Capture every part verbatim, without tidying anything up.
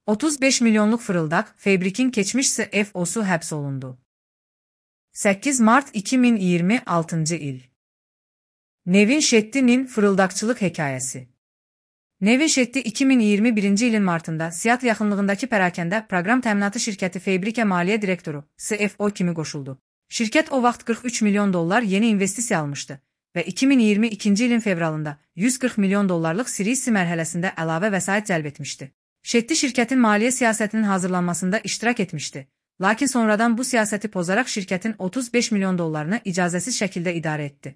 otuz beş milyonluq fırıldaq Fabric'in keçmiş C F O'su həbs olundu. səkkiz mart iki min iyirmi altıncı il. Nevin Shetty'nin fırıldaqçılıq hekayəsi. Nevin Shetty iki min iyirmi birinci ilin martında Seattle yaxınlığındakı pərakəndə proqram təminatı şirkəti Fabric'ə maliyyə direktoru C F O kimi qoşuldu. Şirkət o vaxt qırx üç milyon dollar yeni investisiya almışdı və iki min iyirmi ikinci ilin fevralında yüz qırx milyon dollarlıq Series C mərhələsində əlavə vəsait cəlb etmişdi. Shetty şirkətin maliyyə siyasətinin hazırlanmasında iştirak etmişdi, lakin sonradan bu siyasəti pozaraq şirkətin otuz beş milyon dollarını icazəsiz şəkildə idarə etdi.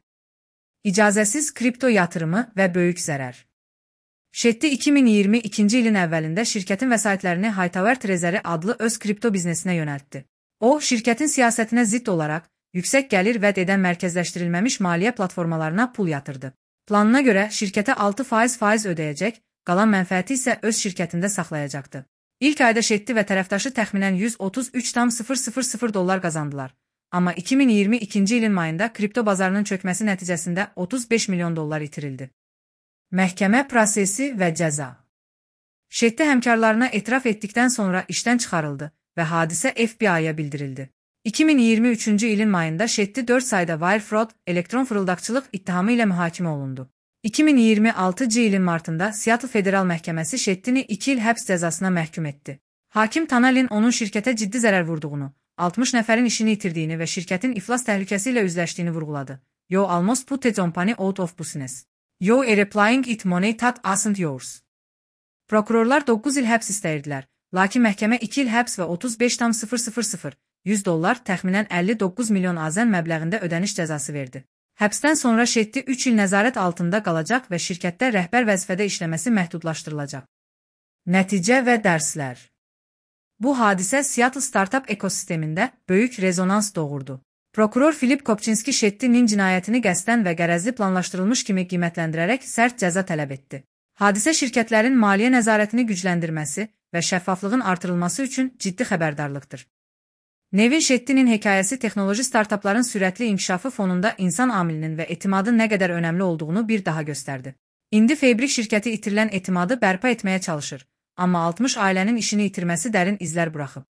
İcazəsiz kripto yatırımı və böyük zərər. Shetty iki min iyirmi ikinci ilin əvvəlində şirkətin vəsaitlərini Hightower Treasury adlı öz kripto biznesinə yönəltdi. O, şirkətin siyasətinə zidd olaraq yüksək gəlir vəd edən mərkəzləşdirilməmiş maliyyə platformalarına pul yatırdı. Planına görə şirkətə altı faiz faiz ödəyəcək, qalan mənfəəti isə öz şirkətində saxlayacaqdı. İlk ayda Shetty və tərəfdaşı təxminən yüz otuz üç min dollar qazandılar. Amma iki min iyirmi ikinci ilin mayında kripto bazarının çökməsi nəticəsində otuz beş milyon dollar itirildi. Məhkəmə prosesi və cəza. Shetty həmkarlarına etiraf etdikdən sonra işdən çıxarıldı və hadisə F B I-ya bildirildi. iki min iyirmi üçüncü ilin mayında Shetty dörd sayda wire fraud, elektron fırıldaqçılıq ittihamı ilə mühakimə olundu. iki min iyirmi altıncı ilin martında Seattle Federal Məhkəməsi Shetty'ni iki il həbs cəzasına məhkum etdi. Hakim Tanalin onun şirkətə ciddi zərər vurduğunu, altmış nəfərin işini itirdiyini və şirkətin iflas təhlükəsi ilə üzləşdiyini vurğuladı. You almost put the company out of business. You are applying it money that isn't yours. Prokurorlar doqquz il həbs istəyirdilər, lakin məhkəmə iki il həbs və otuz beş min yüz dollar təxminən əlli doqquz milyon azən məbləğində ödəniş cəzası verdi. Həbsdən sonra Shetty üç il nəzarət altında qalacaq və şirkətdə rəhbər vəzifədə işləməsi məhdudlaşdırılacaq. Nəticə və dərslər. Bu hadisə Seattle startup ekosistemində böyük rezonans doğurdu. Prokuror Philip Kopczynski Shetty'nin cinayətini qəsdən və qərəzli planlaşdırılmış kimi qiymətləndirərək sərt cəza tələb etdi. Hadisə şirkətlərin maliyyə nəzarətini gücləndirməsi və şəffaflığın artırılması üçün ciddi xəbərdarlıqdır. Nevin Shetty'nin hekayəsi texnoloji startupların sürətli inkişafı fonunda insan amilinin və etimadın nə qədər önəmli olduğunu bir daha göstərdi. İndi Fabric şirkəti itirilən etimadı bərpa etməyə çalışır, amma altmış ailənin işini itirməsi dərin izlər buraxıb.